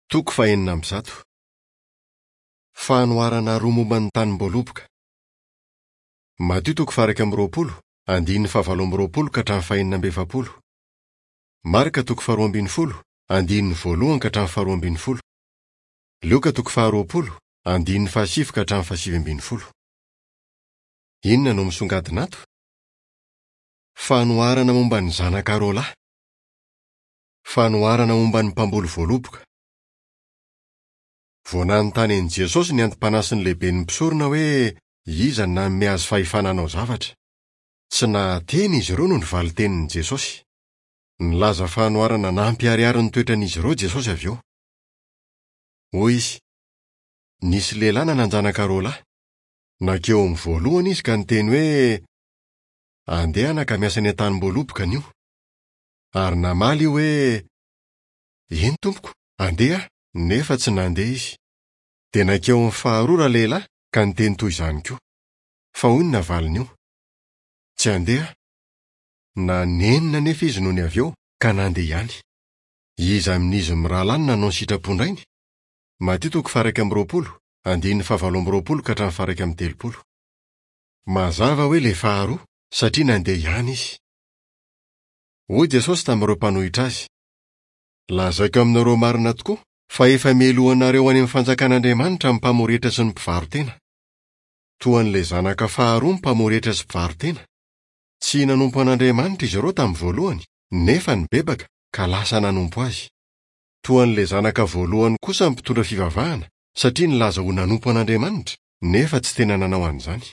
Toko fahenina amby zato. Fanoharana roa momba ny tanim-boaloboka. Matio toko faha-21, andininy fahavalo amby roapolo ka hatramin'ny fahenina amby efapolo. Marka toko faharoa ambin'ny folo, andininy voalohany ka hatramin'ny faharoa ambin'ny folo. Lioka toko faharoapolo, andininy fahasivy ka hatramin'ny fahasivy ambin'ny folo. Inona no misongadina ato? Fanoharana momba ny zanaka roalahy. Fanoharana momba ny mpamboly voaloboka. Vao nanontany an'i Jesosy ny anti-panahy sy ny lehiben'ny mpisorona hoe iza no nanome azy fahefana hanao zavatra. Tsy nahateny izy ireo noho ny valin-tenin'i Jesosy. Nilaza fanoharana nampiharihary ny toetran'izy ireo Jesosy avy eo. Hoy izy, Nisy lehilahy nanan-janaka roa lahy. Nankeo amin'ny voalohany izy ka niteny hoe, 'Andeha anaka miasa any an-tanim-boaloboka anio. Ary namaly io hoe, Eny tompoko, handeha aho, nefa tsy nandeha izy. Dia nankeo amin'ny faharoa ralehilahy ka niteny toy izany koa. Fa hoy ny navalin'io, Tsy handeha aho. Nanenina anefa izy nony avy eo ka nandeha ihany. Iza amin'izy mirahalahy no nanao ny sitrapon-drainy? Matio toko faha-21, andininy fahavalo amby roapolo ka hatramin'ny faha-31. Mazava hoe ilay faharoa, satria nandeha ihany izy. Hoy Jesosy tamin'ireo mpanohitra azy, Lazaiko aminareo marina tokoa fa efa mialoha anareo any amin'ny fanjakan'Andriamanitra ny mpamoretra sy ny mpivaro-tena. Toa an'ilay zanaka faharoa ny mpamoretra sy mpivaro-tena. Tsy nanompo an'Andriamanitra izy ireo tamin'ny voalohany, nefa nibebaka ka lasa nanompo azy. Toa an'ilay zanaka voalohany kosa ny mpitondra fivavahana, satria nilaza ho nanompo an'Andriamanitra, nefa tsy tena nanao an'izany.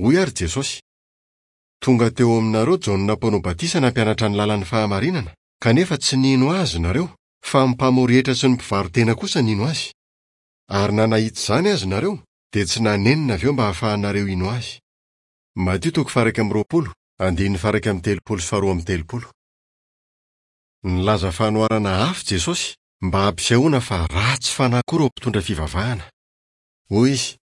Hoy àry Jesosy, Tonga teo aminareo Jaona Mpanao Batisa nampianatra ny lalan'ny fahamarinana, kanefa tsy nino azy nareo, fa ny mpamory hetra sy ny mpivaro-tena kosa nino azy. Ary na nahita izany aza nareo, dia tsy nanenina avy eo mba hahafahanareo hino azy. Matio toko faha-21, andininy faha-31 sy faharoa amby telopolo. Nilaza fanoharana hafa Jesosy mba hampisehoana fa ratsy fanahy koa ireo mpitondra fivavahana. Hoy izy,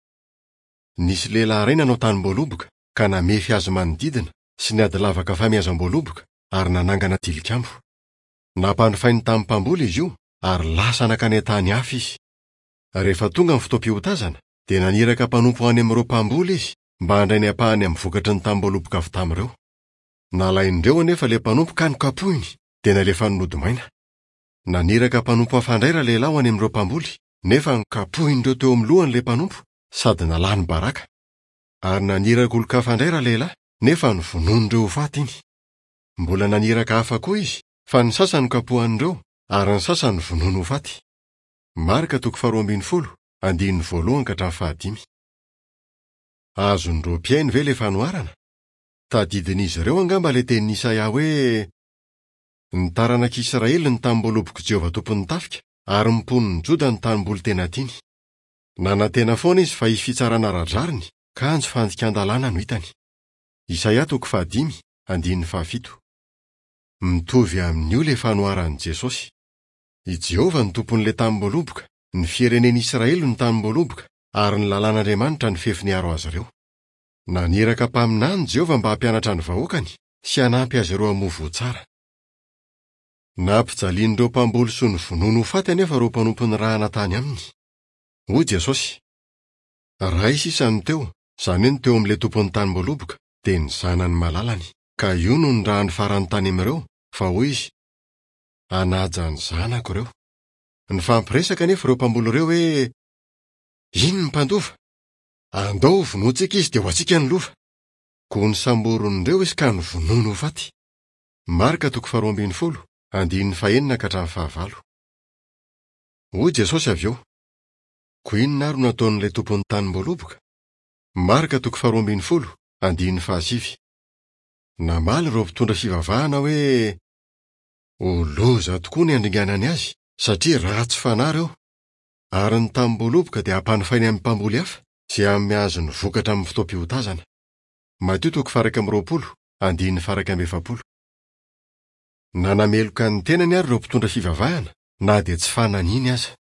Nisy lehilahy iray nanao tanim-boaloboka, ka namefy azy manodidina sy niady lavaka famiazam-boaloboka ary nanangana tilikambo. Nampanofainy tamin'ny mpamboly izy io ary lasa nankany an-tany hafa izy. Rehefa tonga ny fotoam-piotazana, dia naniraka mpanompo ho any amin'ireo mpamboly izy mba handray ny ampahany amin'ny vokatry ny tanim-boaloboka avy tamin'ireo. Nalain'ireo anefa ilay mpanompo ka nokapohiny, dia nalefany nody maina. Naniraka mpanompo hafa indray ralehilahy ho any amin'ireo mpamboly, nefa nokapohin'ireo teo amin'ny lohany ilay mpanompo sady nalany baraka. Ary naniraka olon-kafa indray ralehilahy, nefa novonoin'ireo ho faty iny. Mbola naniraka hafa koa izy, fa ny sasany nokapohan'ireo, ary ny sasany novonoiny ho faty. Marka toko faharoa ambin'ny folo, andininy voalohany ka hatramin'ny fahadimy. Azon'ireo mpihaino ve ilay fanoharana? Tadidin'izy ireo angamba ilay tenin'i Isaia hoe, Ny taranak'Israely no tanimboalobok'i Jehovah Tompon'ny tafika, ary ny mponin'i Joda no tanimboly tena tiany. Nanantena foana izy fa hisy fitsarana ara-drariny, kanjo fandikan-dalàna no hitany. Isaia toko fahadimy, andininy fahafito. Mitovy amin'io ilay fanoharan'i Jesosy. I Jehovah no tompon'ilay tanimboaloboka, ny firenen'Israely no tanimboaloboka, ary ny lalàn'Andriamanitra no fefy niaro azy ireo. Naniraka mpaminany Jehovah mba hampianatra ny vahoakany sy hanampy azy ireo hamoa voa tsara. Nampijalian'ireo mpamboly sy novonoiny ho faty anefa ireo mpanompo nirahana tany aminy. Hoy Jesosy, Ray sisa no teo, izany hoe ny teo amin'ilay tompon'ny tanimboaloboka, dia ny zanany malalany. Ka io no nirahany farany tany amin'ireo, fa hoy izy, Hanaja ny zanako ireo. Nifampiresaka anefa ireo mpamboly ireo hoe, Iny ny mpandova! Andao hovonointsika izy dia ho antsika ny lova. Koa nosamborin'ireo izy ka novonoiny ho faty. Marka toko faharoa ambin'ny folo, andininy fahenina ka hatramin'ny fahavalo. Hoy Jesosy avy eo, Koa inona ary no hataon'ilay tompon'ny tanimboaloboka? Marka toko faharoa ambin'ny folo, andininy fahasivy. Namaly ireo mpitondra fivavahana hoe, Ho loza tokoa ny handringanany azy, satria ratsy fanahy ireo. Ary ny tanimboaloboka dia hampanofainy amin'ny mpamboly hafa, izay hanome azy ny vokatra amin'ny fotoam-piotazana. Matio toko faha-21, andininy faha-41. Nanameloka ny tenany àry ireo mpitondra fivavahana, na dia tsy fananiny aza.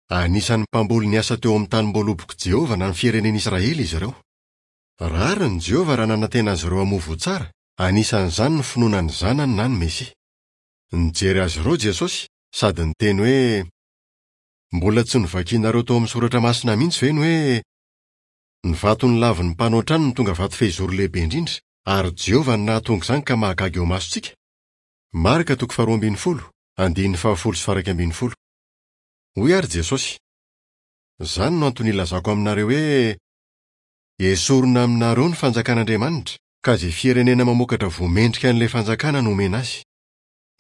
Anisan'ny mpamboly niasa teo amin'ny tanimboalobok'i Jehovah na ny firenen'Israely izy ireo. Rariny Jehovah raha nanantena azy ireo hamoa voa tsara, anisan'izany ny finoana ny Zanany na ny Mesia. Nijery azy ireo Jesosy sady niteny hoe. Mbola tsy novakinareo tao amin'ny Soratra Masina mihitsy ve ny hoe, 'Ny vato nolavin'ny mpanao trano no tonga vato fehizoro lehibe indrindra, ary Jehovah no nahatonga izany ka mahagaga eo imasontsika'? Marka toko faharoa ambin'ny folo, andininy fahafolo sy faha-iraika ambin'ny folo. Hoy àry Jesosy, Izany no antony ilazako aminareo hoe, Esorina aminareo ny fanjakan'Andriamanitra, ka izay firenena mamokatra voa mendrika an'ilay fanjakana no omena azy.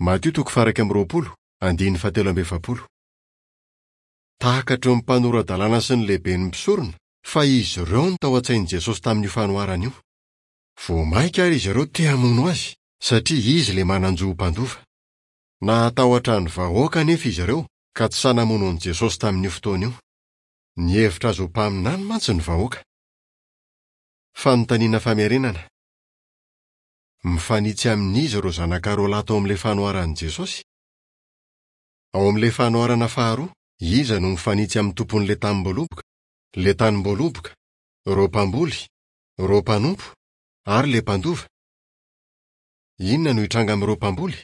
Matio toko faha-21, andininy fahatelo amby efapolo. Takatry ny mpanora-dalàna sy ny lehiben'ny mpisorona fa izy ireo no tao an-tsain'i Jesosy tamin'io fanoharana io. Vao mainka àry izy ireo te hamono azy, satria izy ilay manan-jo ho mpandova. Nahatahotra ny vahoaka anefa izy ireo, ka tsy sahy namono an'i Jesosy tamin'io fotoana io. Nihevitra azy ho mpaminany mantsy ny vahoaka. Fanontaniana famerenana. Mifanitsy amin'iza ireo zanaka roa lahy tao amin'ilay fanoharan'i Jesosy? Ao amin'ilay fanoharana faharoa, iza no mifanitsy amin'ny tompon'ilay tanimboaloboka, ilay tanimboaloboka, ireo mpamboly, ireo mpanompo, ary ilay mpandova? Inona no hitranga amin'ireo mpamboly?